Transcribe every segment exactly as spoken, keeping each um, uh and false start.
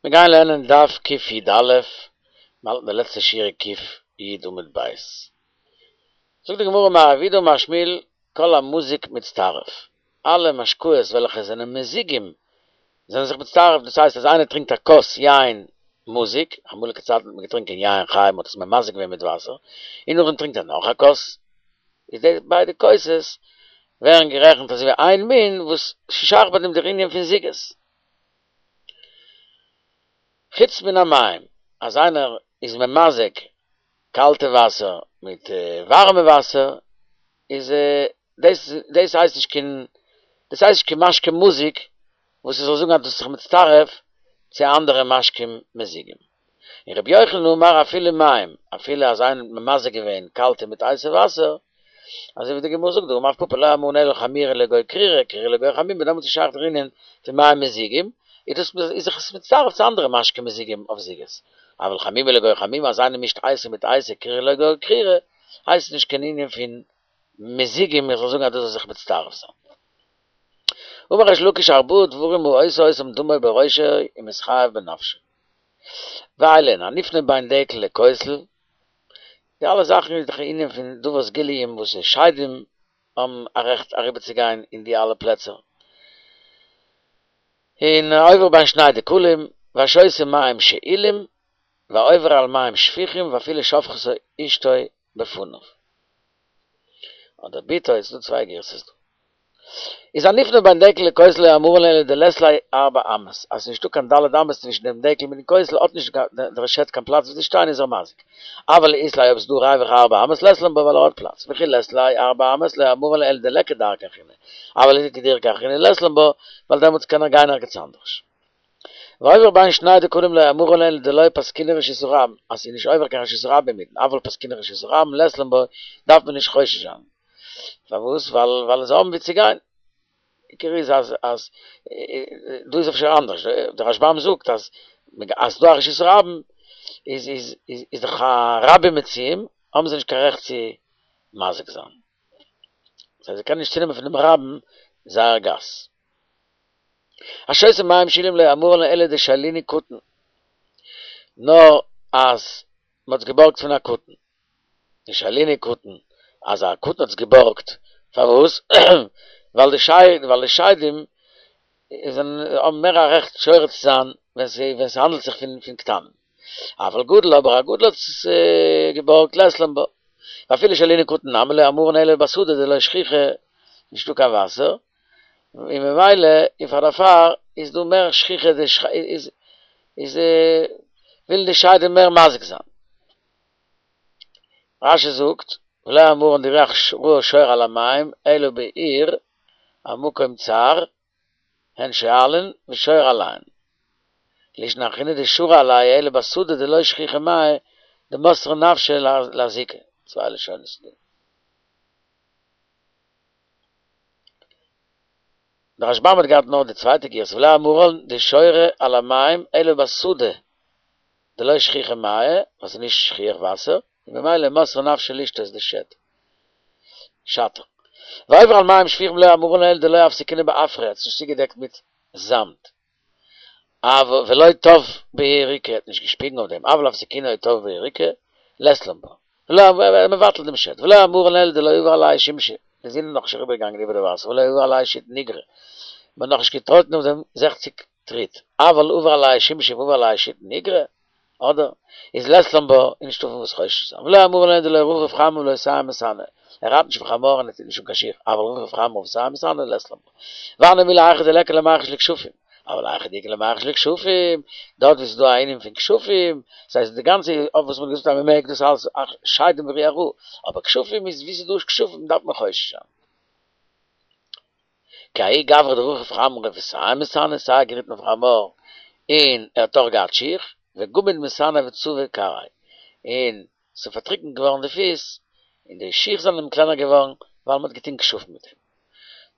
מיר גייען לערנען דף קי"א, מיר האלטן די לעצטע שורה קי"י עמוד ב'. זאגט די גמרא אמר רב יהודה אמר שמואל כל המזוג מצטרף, אלע משקאות וועלכע זענען מזוגים זענען זיך מצטרף, דאס הייסט אז איינער טרינקט א כוס יין מזוג, אמאליגע צייטן האט מען געטרינקען יין חי, מען האט עס ממזג געווען מיט וואסער, און נאכדעם טרינקט ער נאך א כוס, איז די ביידע כוסות ווערן גערעכנט אזוי ווי איין מין וואס ס'שייך ביי דעם דער ענין פון זוגות. חוץ מן המים, אז איינער איז ממזג קאלטע וואסער מיט ווארעמע וואסער, איז דאס דאס הייסט נישט קיין דאס הייסט נישט קיין משקה מזוג וואס איך זאל זאגן אז דאס איז זיך מצטרף צו אנדערע משקים מזוגים. און רבי יוחנן אמר אפילו מים, אפילו אז איינער האט ממזג געווען קאלטע מיט הייסע וואסער, אזוי ווי די גמרא זאגט דאמר רב פפא לא אמרן אלא חמירא לגו קרירא, קרירא לגו חמימא, דעמאלטס איז שייך דער ענין פון מים מזוגים, איז דאס איז זיך עס מצטרף צו אנדערע משקים מזוגים אויף זוגות. אבל חמימא לגו חמימא אז איינער מישט הייסע מיט הייסע קרירא לגו קרירא, הייסט עס נישט קיין ענין פון מזוגים איך זאל זאגן אז דאס זאל זיך מצטרף זיין. אמר ריש לקיש ארבעה דברים העושה אותם דמו בראשו ומתחייב בנפשו. ואלו הן הנפנה בין דקל לכותל, די אלע זאכן איז דאך א ענין פון דבר סגוליים וואס שדים האבן א רעכט אריבערצוגיין אין די אלע פלעצער. און העובר בין שני דקלים, והשותה מים שאולים, והעובר על מים שפוכים ואפילו שפכתו אשתו בפניו. אדער בתו, ס'איז דא צוויי גירסות דא. איז הנפנה בין דקל לכותל לא אמרן אלא דלית ליה ארבע אמות, אז ס'איז נישטא קיין ד' אמות צווישן דעם דקל מיטן כותל האט נישט דער שד קיין פלאץ וואו צו שטיין איז ער מזיק. אבל אית ליה אויב ס'איז דא ריווח ארבע אמות לית לן בה ווייל ער האט פלאץ, וכי לית ליה ארבע אמות לא אמרן אלא דליכא דרכא אחרינא, אבל איכא דרכא אחרינא לית לן בה ווייל דעמאלטס קען ער גיין ערגעץ אנדערש. והעובר בין שני דקלים לא אמרן אלא דלא פסקינהו רשות הרבים, אז ס'איז נישט עובר קיין רשות הרבים אינמיטן, אבל פסקינהו רשות הרבים לית לן בה דארף מען נישט חושש זיין. פארוואס? ווייל ווייל זיי האבן ווי צו גיין. עיקר איז אז אז דא איז אפשר אנדערש, דער רשב"ם זאגט אז אז ס'דא א רשות הרבים איז איז איז דאך א רבים מצויים, האבן זיי נישט קיין רעכט צו מזיק זיין. זיי קענען נישט צונעמען פונעם רבים זייער גאס. השותה מים שאולים לא אמרן אלא דשאילינהו קטן, נאר אז מ'האט עס געבארגט פון א קטן. דשאילינהו קטן, אז א קטן האט עס געבארגט, פארוואס? ווייל די שד, ווייל די שדים זענען האבן מער א רעכט שורה צו זיין ווען ווען ס'האנדלט זיך פון פון קטנים. אבל גדול, אבער א גדול האט עס געבארגט לית לן בה. ואפילו שאילינהו קטן נמי לא אמרן אלא בשדה דלא שכיחא, נישטא קיין וואסער, און ממילא און פאר דערפאר איז דא מער שכיחא איז איז ווילן די שדים מער מזיק זיין. רש"י זאגט, ולא אמרן דרוח רעה שורה על המים אלא בעיר המקום צר הן שואלין ושורה עליהן. לישנא אחרינא דשרי עלייהו אלא בשדה דלא שכיחא מיא דמסרי נפשא לאזוקי. צוויי לשונות איז דא. דער רשב"ם האט געהאט נאר די צווייטע גירסא ולא אמרן דשורה על המים אלא בשדה דלא שכיחא מיא, ווייל ס'איז נישט שכיח וואסער, און ממילא מסרי נפשא לשתות דשד. שטר. והעובר על מים שפוכים לא אמרן אלא דלא אפסקינהו בעפרא, האט עס נישט צוגעדעקט מיט זאמד. אבל ולא טף בהו יריקא, האט נישט געשפיגן אויף דעם, אבל אפסקינהו או טף בהו יריקא, לית לן בה. ולא מבטל דעם שד, ולא אמרן אלא דלא עבר עלייהו שמשא, די זון איז נאכנישט אריבערגעגאנגען איבער די וואסער, ולא עבר עלייהו שיתין איגרי, מען האט נאכנישט געטראטן אויף דעם זעכציג טריט, אבל עבר עלייהו שמשא ועבר עלייהו שיתין איגרי, אדער איז לית לן בה איז נישטא פון וואס חושש זיין, ולא אמרן אלא דלא רכיב חמור ולא סיים מסאנו, ער רייט נישט אויף חמור און ער טוט נישט אן קיין שיך, אבל רכיב חמור וסיים מסאנו לית לן בה. והני מילי היכא דליכא למיחש לכשפים, אבל היכא דאיכא למיחש לכשפים, דארט ווי ס'איז דא א ענין פון כשפים, ס'הייסט די גאנצע אויף וואס מ'האט געזאגט אז מ'מעג דאס אלס שדים ורוח רעה, אבער כשפים איז ווי ס'איז דא כשפים דארף מען חושש זיין. כי ההוא גברא דרכיב חמרא וסיים מסאניה, סיי געריטן אויף חמור און ער האט אויך געהאט שיך, וגמיד מסאניה וצבי כרעיה, און ס'איז פארטריקנט געווארן די פיס, און די שיך זענען אים קלענער געווארן, ווייל מ'האט געטון כשפים מיט אים.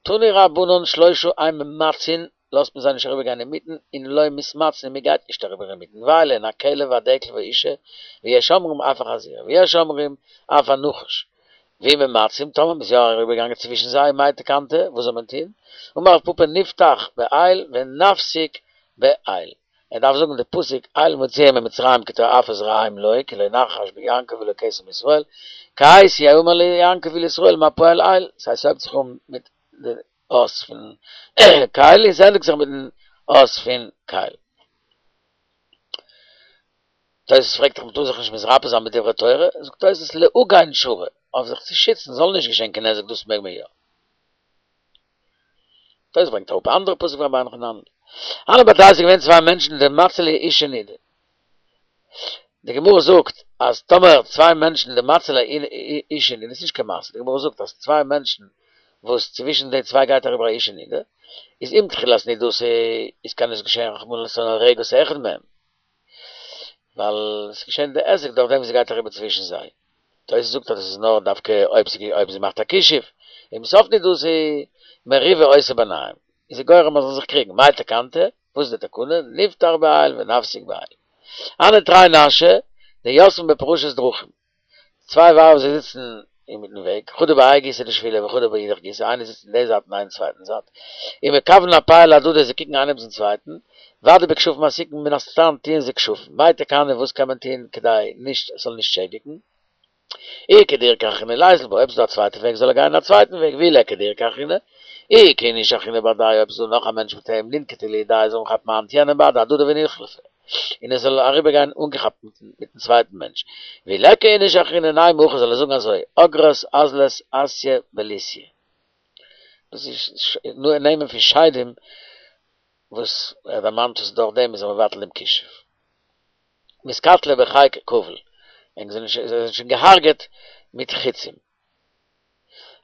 תנו רבנן שלושה אין ממצין, לאזט מען זיי נישט אריבער גיין אינמיטן, און לא מתמצין און מ'גייט נישט אריבער אינמיטן, ואלו הן הכלב והדקל והאשה, ויש אומרים אף החזיר, ויש אומרים אף הנחש. ואם ממצין, טאמער מ'איז יא אריבערגעגאנגען צווישן זיי, מאי תקנתא, וואס זאל מען טון? אמר רב פפא נפתח באיל ונפסיק באיל. ער דארף זאגן די פסוק אל מוציאם ממצרים כי תועפות רעים לו כי לא נחש ביעקב ולא קסם בישראל כעת יאמר ליעקב ולישראל מה פעל אל ס'הייסט ס'הויבט זיך אן מיט די אות פון קל און ס'ענדיגט זיך מיטן אות פון קל. תוס' פרעגט דאך מ'טאר זיך נישט מתרפא זיין בדברי תורה, זאגט תוס' להגן שרי, אויף זיך צו שיצן זאל נישט געשען קיין נזק דאס מעג מען יא. תוס' ברענגט אראפ א אנדערע פסוק פון רבינו חננאל. הנהו בי תרי ס'איז געווען צוויי מענטשן דמצלי אשה נידה. די גמרא זאגט אז טאמער צוויי מענטשן דמצלי אשה נידה, ס'איז נישט קיין מעשה, די גמרא זאגט אז צוויי מענטשן וואס צווישן די צוויי גייט אריבער א אשה נידה, איז עם תחילת נידתה איז קען עס געשען רחמנא לצלן הורגת אחד מהם, ווייל ס'איז געשען די היזק דורך דעם וואס זי גייט אריבער צווישן זיי. תוס' זאגט אז עס איז נאר דווקא אויב זי מאכט א כישוף, עם סוף נידתה מריבה עושה ביניהם, איז זי גורם אז זאלן זיך קריגן, מאי תקנתא? וואס איז די תקנה? נפתח באיל ונפסיק באיל. הנהו תרי נשי דיתבן בפרשת דרכים. צוויי ווייבער זיי זיצן אינמיטן וועג, חדא בהאי גיסא דשבילא וחדא באידך גיסא, איינע זיצט אין די זייט און איינע אין צווייטן זייט, ומכוון אפייהו להדדי זיי קוקן איינעם צום צווייטן, ודאי בכשפים עסיקן מן הסתם טוען זיי כשפים, מאי תקנה וואס קען מען טון כדי נישט עס זאל נישט שעדיגן? אי איכא דרכא אחרינא ליזיל בה, אויב ס'איז דא א צווייטע וועג זאל ער גיין א צווייטן וועג, ואי ליכא דרכא אחרינא, אי איכא איניש אחרינא בהדייהו אויב ס'איז דא נאך א מענטש מיט אים לינקטו לידייהו זאל מען כאפן א האנט יענעם בהדי הדדי וניחלפיה און ער זאל אריבער גיין אנגעכאפט מיטן צווייטן מענטש, ואי ליכא איניש אחרינא נימא הכי זאל ער זאגן אזוי, אגרת אזלת אסיא בליסיא. דאס איז נעמען פון שדים וואס ער דערמאנט וואס דורך דעם איז ער מבטל דעם כישוף. מתקטלי בחיק כבול, ענק זענען שוין געהארגעט מיט חיצים.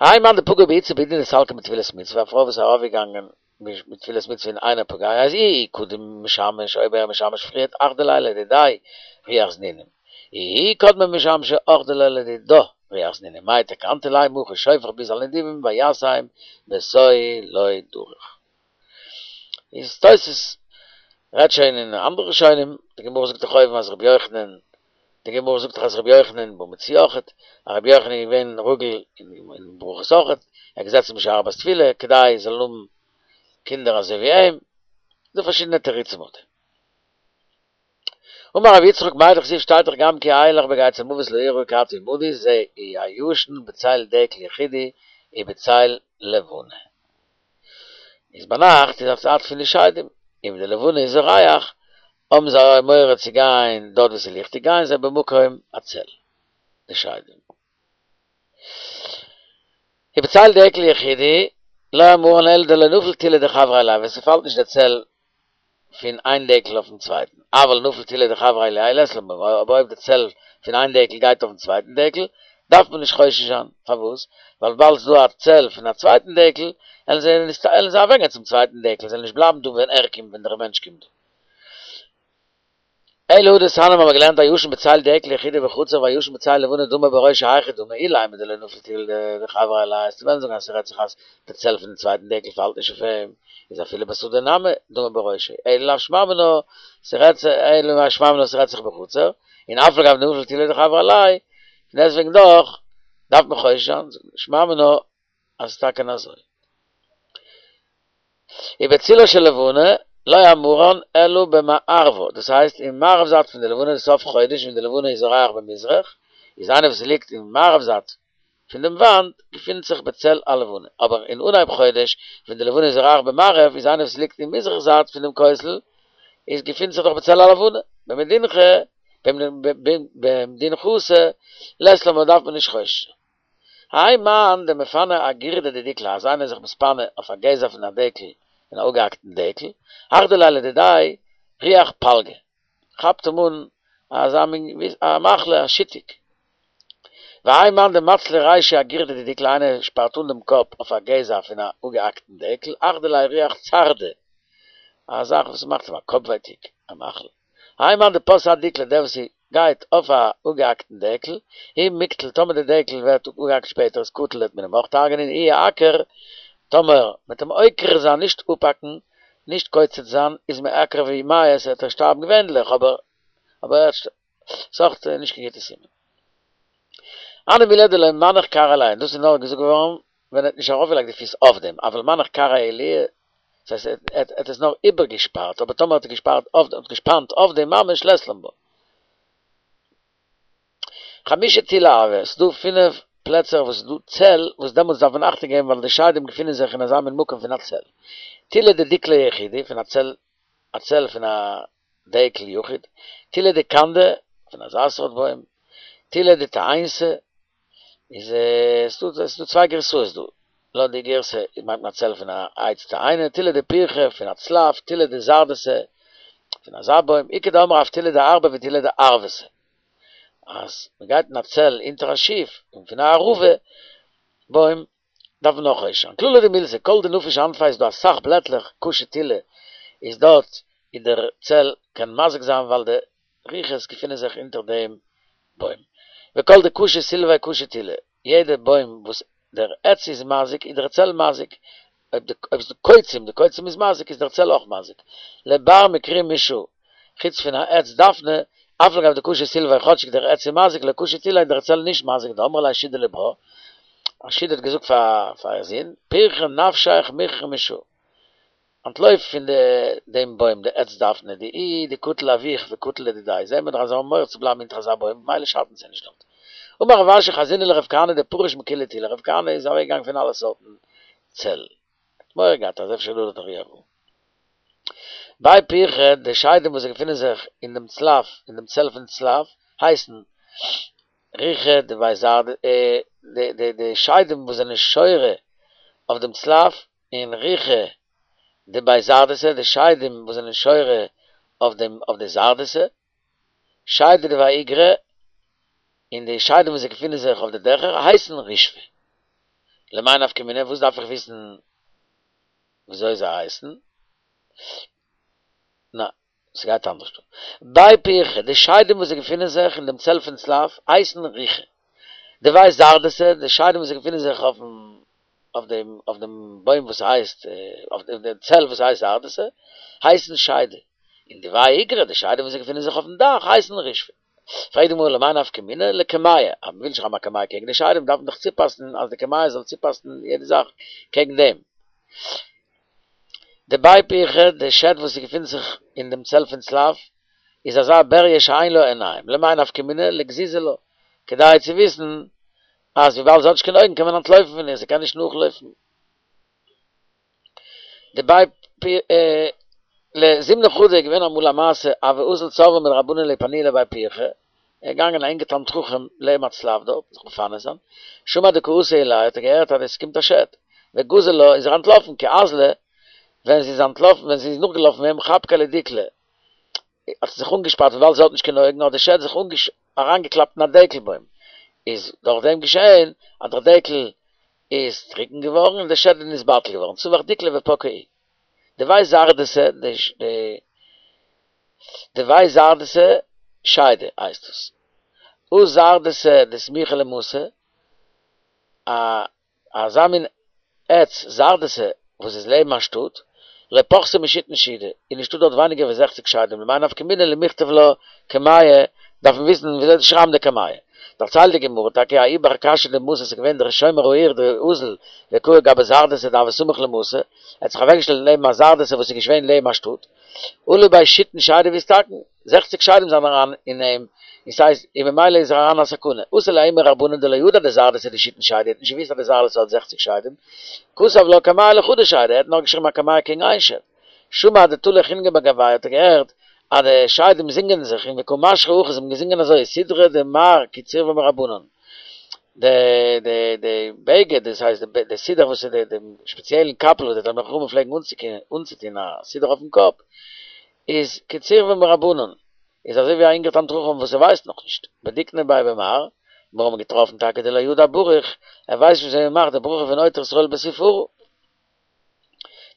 האי מאן דפגע באיתתא בעידנא דסלקא מתפילת מצוה, א פרוי וואס איז ארויפגעגאנגען מיט תפילת מצוה און אינו פוגע, אז אי הוא קדים משמש, אויב ער איז משמש פריערט אחדי ליה לדידיה רוח זנונים, אי היא קדמה משמשא אחדי לה לדידה רוח זנונים, מאי תקנתא לימא הכי שופך ביז על נדיבים וישם בתוהו לא דרוך. איז תוס' רעדט שוין אין אנדערע ראשונים, די גמרא זאגט דאך אויבן אז רבי יוחנן, די גמרא זאגט דאך אז רבי יוחנן בבא מציעא אויכעט, אז רבי יוחנן איז געווען רגיל אין ברכות אויכעט, ער האט געזעצן בשער בת תפילה כדי זאלן האבן קינדער אזוי ווי אים, ס'דא פארשידענע תירוצים אויף דעם. אמר רבי יצחק מאי דכתיב שטייט דאך גם כי אלך בגיא צלמות לא אירא כי אתה עמדי זה הישן בצל דקל יחידי ובצל לבנה. איז ביינאכט איז א צייט פון די שדים, און ווען די לבנה איז זורח האבן זיי מורא צו גיין דארט וואו ס'איז ליכטיג גייען זיי במקום הצל, די שדים. ובצל דקל יחידי, לא אמרן אלא דלא נפיל תילא דחבריה עליה, ווען ס'פאלט נישט די צל פון איין דקל אויפן צווייטן, אבל נפיל תילא דחבריה עליה לית לן אבער אויב די צל פון איין דקל גייט אויפן צווייטן דקל, דארף מען נישט חושש זיין, פארוואס? ווייל וויבאלד ס'איז דא א צל פון א צווייטן דקל, עלן זיי עלן זיי אוועקגיין צום צווייטן דקל, זיי וועלן נישט בלייבן דא ווען ער קומט, ווען דער מענטש קומט דא. אלא הא דתניא האבן מיר געלערנט הישן בצל דקל יחידי בחצר והישן בצל לבנה דמה בראשו היכי דמי אילימא דלא נפיל תילא דחבריה עליה וועסטו וועלן זאגן אז ס'רעדט זיך אז די צל פון די צווייטן דקל פאלט נישט אויף אים איז אפילו בשדה נמי דמה בראשו אלא לאו שמע מינה ס'רעדט זיך אלא מאי שמע מינה ס'רעדט זיך בחצר און אף על גב דנפיל תילא דחבריה עליה פון דעסטוועגן דאך דארף מען חושש זיין שמע מינה אז ס'איז טאקע אזוי. ובצילה של לבנה לא אמרן אלא במערבה, דאס הייסט אין מערב זייט פון די לבנה די סוף חודש ווען די לבנה איז זורח במזרח, איז איינער וואס ליגט אין מערב זייט פון דעם וואנט געפינט זיך בצל הלבנה, אבער אין אנהייב חודש ווען די לבנה איז זורח במערב איז איינער וואס ליגט אין מזרח זייט פון דעם כותל איז געפינט זיך דאך בצל הלבנה, במדינתא במדינחתא לית לן דארף מען נישט חושש זיין. האי מאן דמפני אגירדא דדיקלא אז איינער איז זיך מתפנה אויף א גזע פון א דקל פון א אפגעהאקטן דקל, אחדי ליה לדידיה רוח פלגא, כאפט אים אן אזא מין א מחלה א שיתוק. והאי מאן דמצלי רישיה אגירדא דדיקלא איינער שפארט אן דעם קאפ אויף א גזע פון א אפגעהאקטן דקל, אחדי ליה רוח צרדא, א זאך וואס מאכט אים א קאפווייטיג, א מחלה. האי מאן דפס אדיקלא דער וואס גייט אויף א אפגעהאקטן דעקל, אי מיקטל טאמער די דעקל ווערט אפגעהאקט שפעטער איז קטיל וועט מען אים אויך הרג'נען אי איעקר טאמער מ'וועט אים עוקר זיין נישט אפהאקן נישט קוצץ זיין איז מיעקר ומיית וועט ער שטארבן געווענדליך אבער אבער ס'אויך נישט קיין גוטע סימן. הני מילי דלא מנח כרעיה עילויה דאס איז נאר געזאגט געווארן ווען ער האט נישט ארויפגעלייגט די פיס אויף דעם אבל מנח כרעיה עילויה דאס הייסט ער האט עס נאר איבערגעשפארט, אבער טאמער האט ער געשפארט אויף האט געשפאנט אויף דעם ממש לית לן בה. חמשה תילי הוו, ס'דא פינף פלעצער וואס איז דא צל, וואס דעמאלטס דארף מען אכטונג געבן ווייל די שדים געפינען זיך אין אזא מין מקום פון א צל. תילא דדיקלא יחידי, פון א צל, א צל פון א דקל יחיד, תילא דקנדא, פון אזא סארט בוים, תילא דתאינתא, איז עס דא צוויי גרסאות דא, לויט די גירסא מיינט מען א צל פון א עץ תאנה, תילא דפרחא פון א צלף, תילא דזרדתא פון אזא בוים, איכא דאמרי אף תילא דארבא ותילא דערבתא. אז מען גייט אין א צל אונטער א שיף און פון א ערבה בוים דארף מען אויך חושש זיין. כללא דמילתא, כל דנפיש אנפיה איז דא אסאך בלעטלעך קשי תילא איז דארט אין דער צל קען מזיק זיין ווייל די רוחות געפינען זיך אונטער דעם בוים. וכל דקשי סילפיה קשי תילא, יעדע בוים וואס דער עץ איז מזיק איז דער צל מזיק, אויב די אויב ס'דא קוצים די קוצים איז מזיק איז דער צל אויך מזיק. לבר מכרי מישא, חוץ פון א עץ דפנה, אף על גב דקשי סילפיה כאטשיג דער עץ איז מזיק לא קשי תילא איז דער צל נישט מזיק דאמרה ליה שידא לברה, א שידא האט געזאגט פאר פאר איר זון, פרחי נפשיך מכרי מישא, אנטלויף פון די דעם בוים די עץ דפנה דאיהו דקטיל אבוך וקטיל לדידיה, זעהן מיר דאך אז זיי האבן מורא צו בלייבן אונטער אזא בוים ממילא שאטן זיי נישט דארט. אמר רב אשי חזינא לרב כהנא דפריש מכולהו תילי, רב כהנא איז אוועק געגאנגען פון אלע סארטן צל, ער האט מורא געהאט אז אפשר איז דא דארט א רוח רעה. בי פרחא, די שדים וואס געפינען זיך אין דעם צלף, אין דעם צל פון צלף, הייסן רוחא דבי זרד, די די די שדים וואס זענען שורה אויף דעם צלף, און רוחא דבי זרדתא, די שדים וואס זענען שורה אויף דעם אויף די זרדתא, שדא דבי איגרא, און די שדים וואס געפינען זיך אויף די דעכער הייסן רישפי. למאי נפקא מינה, וואס דארף איך וויסן וויאזוי זיי הייסן? נא, ס'גייט אנדערש דא. בי פרחא, די שדים וואס געפינען זיך אין דעם צל פון צלף הייסן רוחא. דבי זרדתא, די שדים וואס געפינען זיך אויפן אויף דעם אויף דעם בוים וואס הייסט אויף דעם צל וואס הייסט זרדתא, הייסן שדא. און דבי איגרא, די שדים וואס געפינען זיך אויפן דאך הייסן רישפי. פרעגט די גמרא למאי נפקא מינה לקמיע, אז מ'וויל שרייבן א קמיע קעגן די שדים דארף מען דאך צופאסן אז די קמיע זאל צופאסן יעדע זאך קעגן דעם. דבי פרחא, די שד וואס געפינט זיך אין דעם צל פון צלף, איז אזא בריה שאין לה עיניים, למאי נפקא מינה לגזיזי לה, כדי צו וויסן אז וויבאלד זי האט נישט קיין אויגן קען מען אנטלויפן פון איר, זי קען נישט נאכלויפן. דבי פ לזימנא חדא איז געווען אמאל א מעשה הוה אזיל צורבא מדרבנן לאיפנויי לבי פרחא, ער איז געגאנגען א אינגער תלמיד חכם לעבן א צלף דארט זיך מפנה זיין, שמע דקא אתו עילויה האט ער געהערט אז עס קומט א שד, וגזר לה איז ער אנטלאפן כי אזלא, ווען זי איז אנטלאפן ווען זי איז נאכגעלאפן אים חבקה לדיקלא האט זי זיך אנגעשפארט וויבאלד זי האט נישט קיין אויגן האט די שד זיך אריינגעקלאפט אין א דקל בוים, איז דורך דעם געשען אז דער דקל איז טרוקן געווארן און דער שד איז נתבטל געווארן, צווח דיקלא ופקע איהו. דבי זרדתא, די דבי זרדתא שדא הייסט עס. הא זרדתא דסמיכא למתא, א אזא מין עץ זרדתא וואס איז לעבן א שטאט, לא פחתו משיתין שידי, איז נישטא דארט ווייניגער ווי זעכציק שדים, למאי נפקא מינה למכתב לה קמיע, דארף מען וויסן וויאזוי צו שרייבן די קמיע. דערציילט די גמרא טאקע ההוא בר קשא דמתא ס'איז געווען דער שומר העיר דאזל וקאי גבי זרדתא דהוה סמיך למתא, ער האט זיך אוועקגעשטעלט לעבן א זרדתא וואס איז געווען לעבן א שטאט, עלו ביה שיתין שדי ואתתקון, זעכציק שדים זענען אריין אין אים, און ס'הייסט, און ממילא איז ער אריין אין א סכנה. אתא ליה ההוא מרבנן דלא ידע דזרדתא דשיתין שדי, ער האט נישט געוואוסט אז די זרדתא האט זעכציק שדים, כתב לה קמיע לחדא שדא, ער האט נאר געשריבן א קמיע קעגן איין שד. שמע דתלו חינגא בגוייהו האט ער געהערט אז די שדים זינגען זיך און וקא משכו הכי זיי האבן געזינגען אזוי סודרא דמר כי צורבא מרבנן די די די בגד דאס הייסט די די סודר וואס איז די דעם שפעציעלן קאפל וואס די תלמידי חכמים פלעגן אנצוטון א סודר אויפן קאפ איז כי צורבא מרבנן איז אזוי ווי א אינגער תלמיד חכם וואס ער ווייסט נאכנישט בדיקנא ביה במר מיר האבן געטראפן טאקע דלא ידע בריך ער ווייסט נישט וויאזוי מען מאכט די ברכה פון עוטר ישראל בתפארה.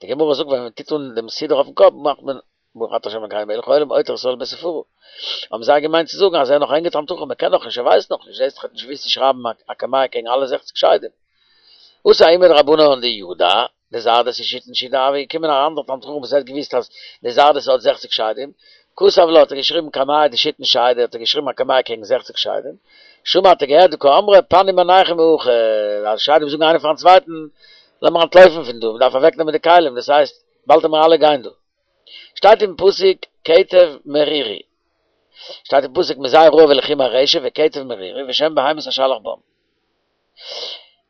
די גמרא זאגט ווען מען טוט אן דעם סודר אויפן קאפ מאכט מען ברוך אתה ה' אלקינו מלך העולם עוטר ישראל בתפארה. האבן זיי געמיינט צו זאגן אז ער איז נאך א אינגער תלמיד חכם ער קען נאך נישט ער ווייסט נאך נישט זעסט דאך ער האט נישט געוואוסט צו שרייבן א קמיע קעגן אלע זעכציק שדים. אתא ההוא מדרבנן דידע דזרדתא שיתין שידי הוה געקומען א אנדער תלמיד חכם וואס ער האט געוואוסט אז די זרדתא האט זעכציק שדים, כתב לה האט ער געשריבן קמיע דשיתין שדי האט ער געשריבן א קמיע קעגן זעכציק שדים, שמע האט ער געהערט דקאמרי פנו מינייכו מהכא, אז שדים זאגן איינער פארן צווייטן לאמיר אנטלויפן פון דא, מען דארף אוועקנעמען די כלים, דאס הייסט, באלד וועלן מיר אלע גיין דא. שטייט אין פסוק קטב מרירי. שטייט אין פסוק מזעי רעב ולחי מרשף וקטב מרירי ושם בהמות אשלח בם.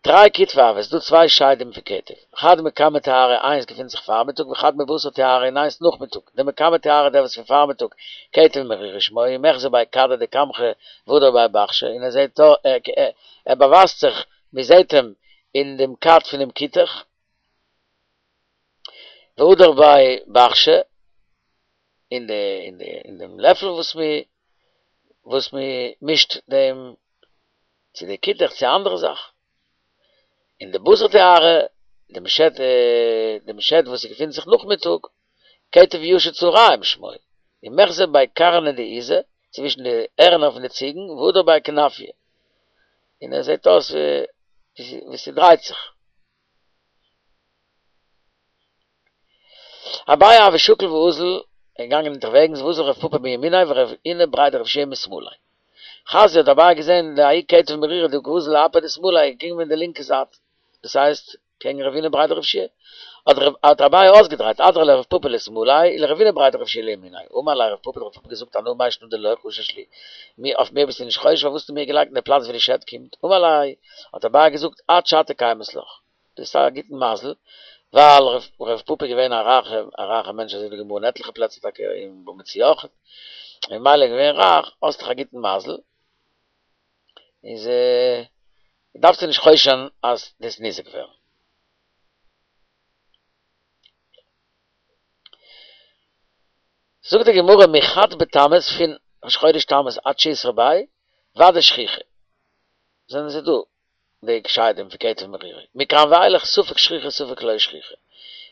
תרי כתבי הוו, ס'איז דא צוויי שדים פון קטב, חד מקמי תארי איינס געפינט זיך פארמיטאג וחד מבתר תארי און איינס נאכמיטאג, דמקמי תארי דער וואס פון פארמיטאג קטב מרירי שמו ומחזי בי כדא דקמחא והדר בי בחשא און ער זעט ער באווייזט זיך מען זעט אים אין דעם כד פונעם כותח והדר בי בחשא אין די אין די אין דעם לעפל וואס מען וואס מען מישט דעם צו די כותח צו א אנדערע זאך. און דבתר תארי, דעם שד דעם שד וואס געפינט זיך נאכמיטאג, קטב ישיר צהרים שמו, ומחזי בי קרני דעיזי, צווישן די הערנער פון די ציגן, והדר בי כנפיא. און עס זעט אויס ווי ס'דרייט זיך. אביי הוה שקיל ואזיל, ער איז געגאנגען אונטערוועגנס ואזל רב פפא מימיניה ורב הונא בריה דרב יהושע משמאליה. חזייה האט אביי געזען דההוא קטב מרירי דקא אזיל לאפה דשמאליה איז געקומען אין די לינקע זייט, דאס הייסט קעגן רב הונא בריה דרב יהושע, האט אביי אויסגעדרייט אדריה לרב פפא לשמאליה ולרב הונא בריה דרב יהושע לימיניה, אמר ליה רב פפא האט רב פפא געזאגט אנא מאי שנא דלא חשש לי, מיר אויף מיר ביסטו נישט חושש פארוואס האסטו מיר געלייגט אין די פלאץ ווי די שד קומט, אמר ליה האט אביי געזאגט את שעתא קיימת לך, דו האסט א גוטן מזל, ווייל רב פפא איז געווען א רייכע א רייכע מענטש אזוי ווי די גמרא אין עטליכע פלעצער טאקע אין בבא מציעא אויך, און ממילא איז געווען רייך, האסט דאך א גוטן מזל, איז דארפסטו נישט חושש זיין אז דו וועסט ניזוק ווערן. זאגט די גמרא מחד בתמוז פון ראש חודש תמוז עד שיתרא ביה ודאי שכיחי זענען זיי דא די שדים פון קטב מרירי מכאן ואילך ספק שכיחי ספק לא שכיחי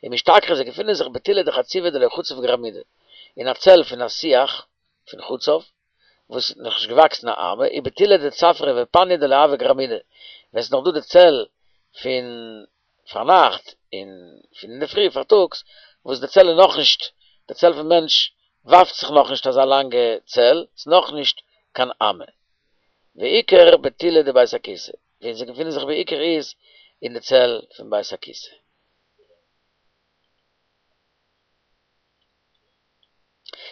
ומשתכחי זיי געפינען זיך בטולא דחציבא דלא חציב גרמידי אין א צל פון א שיח פון חצב וואס איז נאכנישט געוואקסן א אמה ובטולא דצפרא ופניא דלא הוה גרמידי ווען ס'איז נאך דא די צל פון פארנאכט און פון אינדערפרי פארטאגס וואס די צל איז נאכנישט די צל פון מענטש ווארפט זיך נאכנישט אזא לאנגע צל ס'איז נאכנישט קיין אמה ועיקר בטולא דבית הכסא וואו זיי געפינען זיך בעיקר איז אין די צל פון בית הכסא.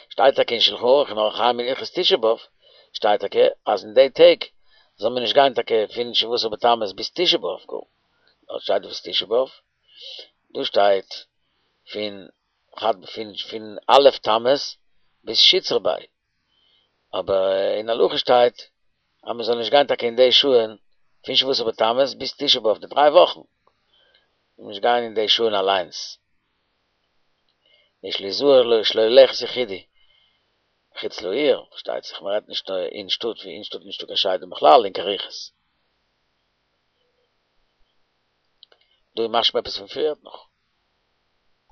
שטייט טאקע אין שלחן ערוך אין אורח חיים אין הלכות תשעה באב שטייט טאקע אז אין די טעג זאל מען נישט גיין טאקע פון שבעה עשר בתמוז ביז תשעה באב גאר, דארט שטייט ביז תשעה באב, דא שטייט פון פון פון א' תמוז ביז שיתרא ביה, אבער אין הלכה שטייט אז מען זאל נישט גיין טאקע אין די שעה'ן פון שבעה עשר בתמוז ביז תשעה באב די דריי וואכן, זאל מען נישט גיין אין די שעה'ן אליינס. יש ליזהר שלא ללכת יחידי מחוץ לעיר, פארשטייט זיך מען רעדט נישט אין שטאט, ווי אין שטאט איז נישטא קיין שדים בכלל און קיין רוחות. דא איז משמע עפעס פון פריערט נאך.